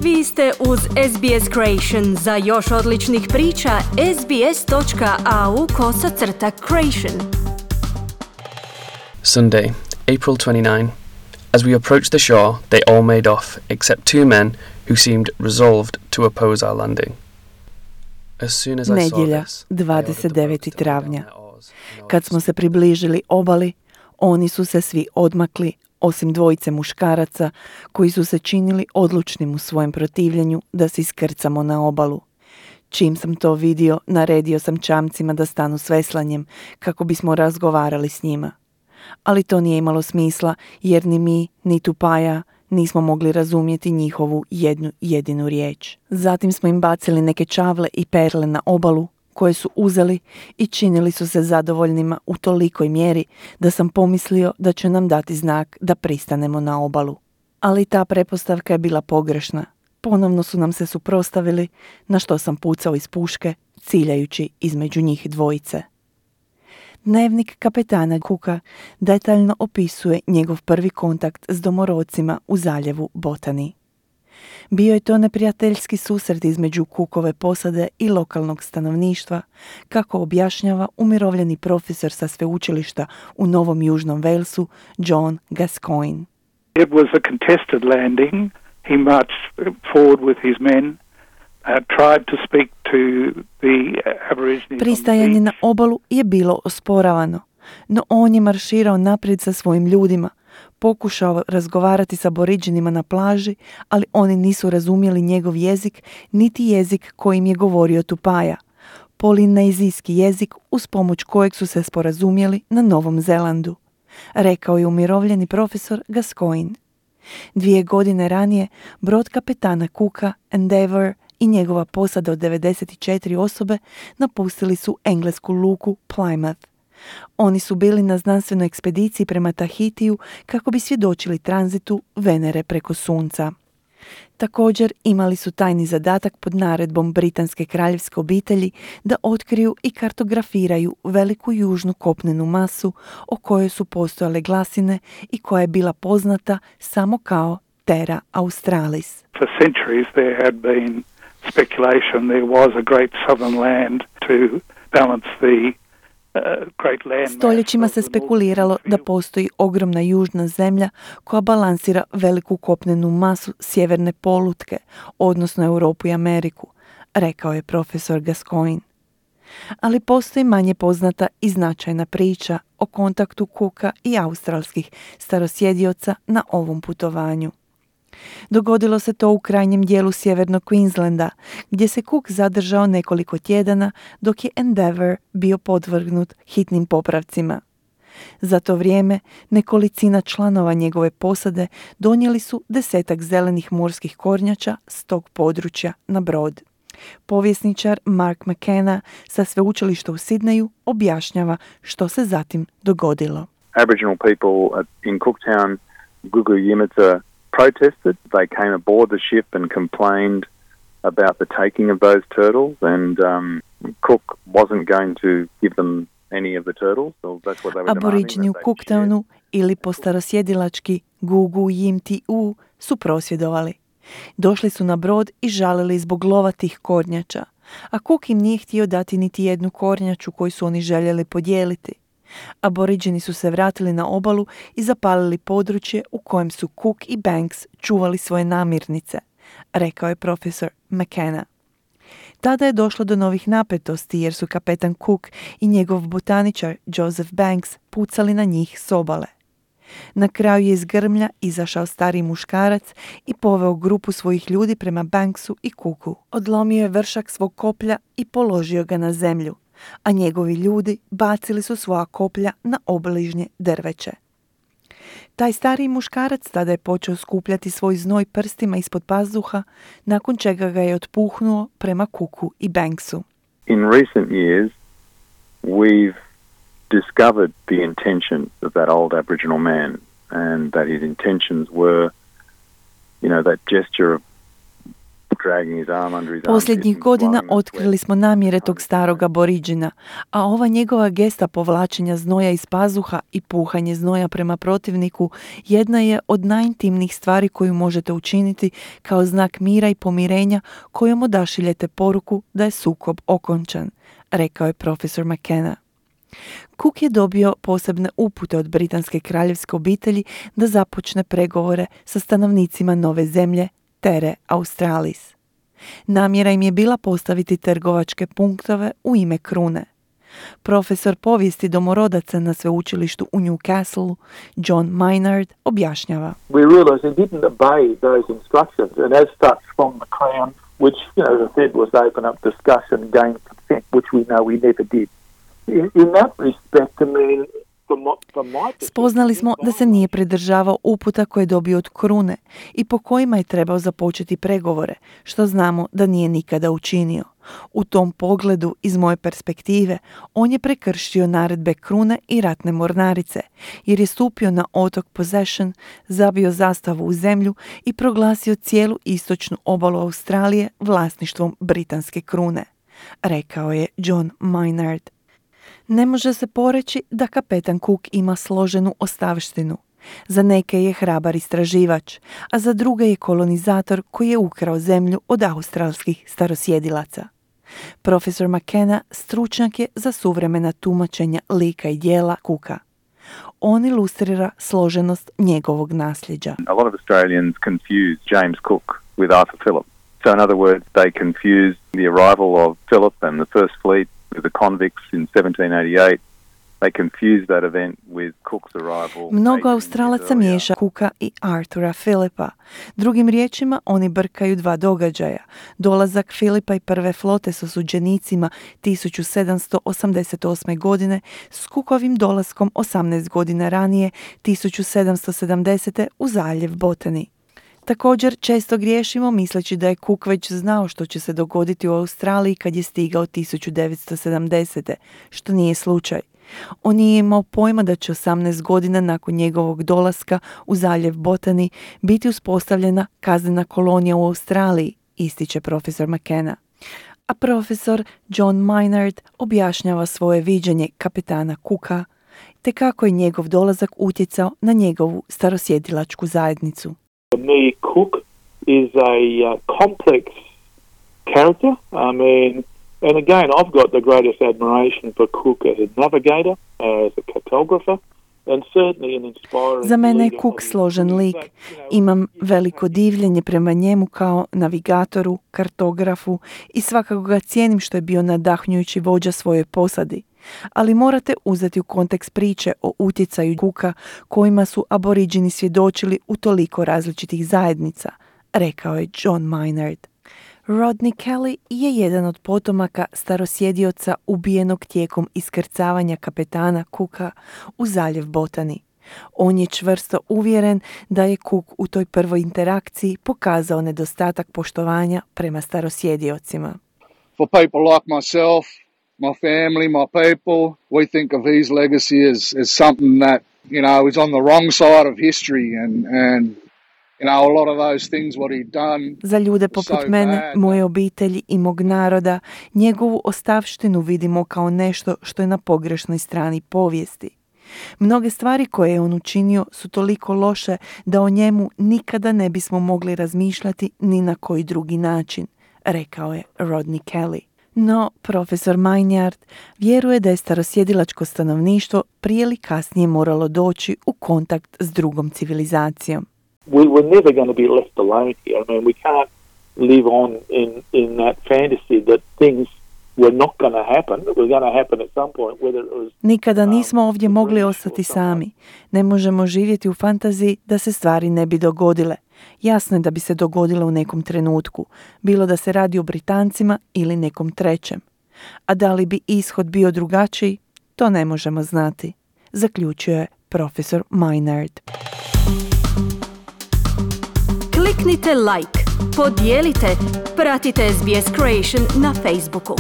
Vi ste uz SBS Creation. Za još odličnih priča, sbs.au/creation. Sunday, April 29. As we approached the shore, they all made off, except two men who seemed resolved to oppose our landing. Nedjelja, 29. travnja. Kad smo se približili obali, oni su se svi odmakli, osim dvojice muškaraca koji su se činili odlučnim u svojem protivljenju da se iskrcamo na obalu. Čim sam to vidio, naredio sam čamcima da stanu s veslanjem kako bismo razgovarali s njima. Ali to nije imalo smisla jer ni mi, ni Tupaia nismo mogli razumjeti njihovu jednu jedinu riječ. Zatim smo im bacili neke čavle i perle na obalu koje su uzeli i činili su se zadovoljnima u tolikoj mjeri da sam pomislio da će nam dati znak da pristanemo na obalu. Ali ta pretpostavka je bila pogrešna. Ponovno su nam se suprotstavili, na što sam pucao iz puške, ciljajući između njih dvojice. Dnevnik kapetana Cooka detaljno opisuje njegov prvi kontakt s domorodcima u zaljevu Botany. Bio je to neprijateljski susret između Cookove posade i lokalnog stanovništva, kako objašnjava umirovljeni profesor sa sveučilišta u Novom Južnom Walesu, John Gascoigne. It was a contested landing. He marched forward with his men, tried to speak to the Aborigines. Pristajanje na obalu je bilo osporavano, no on je marširao naprijed sa svojim ljudima, pokušao razgovarati s Aboriđinima na plaži, ali oni nisu razumjeli njegov jezik, niti jezik kojim je govorio Tupaia, polinezijski jezik uz pomoć kojeg su se sporazumjeli na Novom Zelandu, rekao je umirovljeni profesor Gascoigne. 2 godine ranije, brod kapetana Cooka, Endeavour, i njegova posada od 94 osobe napustili su englesku luku Plymouth. Oni su bili na znanstvenoj ekspediciji prema Tahitiju kako bi svjedočili tranzitu Venere preko Sunca. Također imali su tajni zadatak pod naredbom britanske kraljevske obitelji da otkriju i kartografiraju veliku južnu kopnenu masu o kojoj su postojale glasine i koja je bila poznata samo kao Terra Australis. For centuries there had been speculation there was a great southern land to balance the great land. Stoljećima se spekuliralo da postoji ogromna južna zemlja koja balansira veliku kopnenu masu sjeverne polutke, odnosno Europu i Ameriku, rekao je profesor Gascoigne. Ali postoji manje poznata i značajna priča o kontaktu Cooka i australskih starosjedioca na ovom putovanju. Dogodilo se to u krajnjem dijelu sjevernog Queenslanda, gdje se Cook zadržao nekoliko tjedana dok je Endeavour bio podvrgnut hitnim popravcima. Za to vrijeme nekolicina članova njegove posade donijeli su 10 zelenih morskih kornjača s tog područja na brod. Povjesničar Mark McKenna sa sveučilišta u Sidneju objašnjava što se zatim dogodilo. Aboriginal people in Cooktown, Gugu Yimithirr, protested. They came aboard the ship and complained about the taking of those turtles, and Cook wasn't going to give them any of the turtles, so that's what they were demanding. Aboriđini u Cooktownu ili po starosjedilački Gugu Yimithirr su prosvjedovali. Došli su na brod i žalili zbog lova tih kornjača, a Cook im nije htio dati niti jednu kornjaču koju su oni željeli podijeliti. Aboriđini su se vratili na obalu i zapalili područje u kojem su Cook i Banks čuvali svoje namirnice, rekao je profesor McKenna. Tada je došlo do novih napetosti jer su kapetan Cook i njegov botaničar Joseph Banks pucali na njih s obale. Na kraju je iz grmlja izašao stari muškarac i poveo grupu svojih ljudi prema Banksu i Cooku. Odlomio je vršak svog koplja i položio ga na zemlju, a njegovi ljudi bacili su svoja koplja na obližnje drveće. Taj stariji muškarac tada je počeo skupljati svoj znoj prstima ispod pazuha, nakon čega ga je otpuhnuo prema Cooku i Banksu. In recent years, we've discovered the intentions of that old Aboriginal man, and that his intentions were, that gesture of dragging his arm under his Posljednjih armpit and godina blowing the otkrili sweat. smo namjere tog starog aboriđina, a ova njegova gesta povlačenja znoja iz pazuha i puhanje znoja prema protivniku jedna je od najintimnijih stvari koju možete učiniti kao znak mira i pomirenja kojom odašiljete poruku da je sukob okončan, rekao je profesor McKenna. Cook je dobio posebne upute od britanske kraljevske obitelji da započne pregovore sa stanovnicima nove zemlje, Terre Australis. Namjera im je bila postaviti trgovačke punktove u ime krune. Profesor povijesti domorodaca na sveučilištu u Newcastle, John Maynard, objašnjava. We realised they didn't obey those instructions, and as such from the Crown, which, as I said, was to open up discussion, gain consent, which we know we never did. In that respect, I mean, from my perspective, Spoznali smo da se nije pridržavao uputa koje je dobio od krune i po kojima je trebao započeti pregovore, što znamo da nije nikada učinio. U tom pogledu, iz moje perspektive, on je prekršio naredbe krune i ratne mornarice, jer je stupio na otok Possession, zabio zastavu u zemlju i proglasio cijelu istočnu obalu Australije vlasništvom britanske krune, rekao je John Maynard. Ne može se poreći da kapetan Cook ima složenu ostavštinu. Za neke je hrabar istraživač, a za druge je kolonizator koji je ukrao zemlju od australskih starosjedilaca. Profesor McKenna stručnjak je za suvremena tumačenja lika i djela Cooka. On ilustrira složenost njegovog nasljeđa. A lot of Australians confuse James Cook with Arthur Phillip. So in other words, they confuse the arrival of Phillip and the First Fleet with the convicts in 1788. They confuse that event with Cook's arrival. Mnogo Australaca miješa Cooka i Arthura Phillipa. Drugim riječima, oni brkaju dva događaja. Dolazak Phillipa i prve flote s osuđenicima 1788. godine s Cookovim dolaskom 18 godina ranije 1770. u zaljev Botany. Također često griješimo misleći da je Cook već znao što će se dogoditi u Australiji kad je stigao 1970. što nije slučaj. On nije imao pojma da će 18 godina nakon njegovog dolaska u zaljev Botany biti uspostavljena kaznena kolonija u Australiji, ističe profesor McKenna. A profesor John Maynard objašnjava svoje viđenje kapetana Cooka te kako je njegov dolazak utjecao na njegovu starosjedilačku zajednicu. For me, Cook is a complex character. I mean, and again, I've got the greatest admiration for Cook as a navigator, as a cartographer, and certainly an inspiring. Za mene je Cook složen lik. Imam veliko divljenje prema njemu kao navigatoru, kartografu i svakako ga cijenim što je bio nadahnjujući vođa svojoj posadi. Ali morate uzeti u kontekst priče o utjecaju Cooka kojima su aboriđini svjedočili u toliko različitih zajednica, rekao je John Maynard. Rodney Kelly je jedan od potomaka starosjedioca ubijenog tijekom iskrcavanja kapetana Cooka u zaljev Botany. On je čvrsto uvjeren da je Cook u toj prvoj interakciji pokazao nedostatak poštovanja prema starosjediocima. For people like myself, my family, my people, we think of his legacy as something that, you know, is on the wrong side of history and you know, a lot of those things what he'd done. Za ljude poput mene, moje obitelji i mog naroda, njegovu ostavštinu vidimo kao nešto što je na pogrešnoj strani povijesti. Mnoge stvari koje je on učinio su toliko loše da o njemu nikada ne bismo mogli razmišljati ni na koji drugi način, rekao je Rodney Kelly. No, profesor Maynard vjeruje da je starosjedilačko stanovništvo prije ili kasnije moralo doći u kontakt s drugom civilizacijom. We were never going to be left alone here. I mean, we can't live on in that fantasy that things were not going to happen. It was going to happen at some point, whether it was. Nikada nismo ovdje mogli ostati sami. Ne možemo živjeti u fantaziji da se stvari ne bi dogodile. Jasno je da bi se dogodile u nekom trenutku, bilo da se radi o Britancima ili nekom trećem. A da li bi ishod bio drugačiji, to ne možemo znati, zaključio je profesor Maynard. Kliknite like, podijelite, pratite SBS Creation na Facebooku.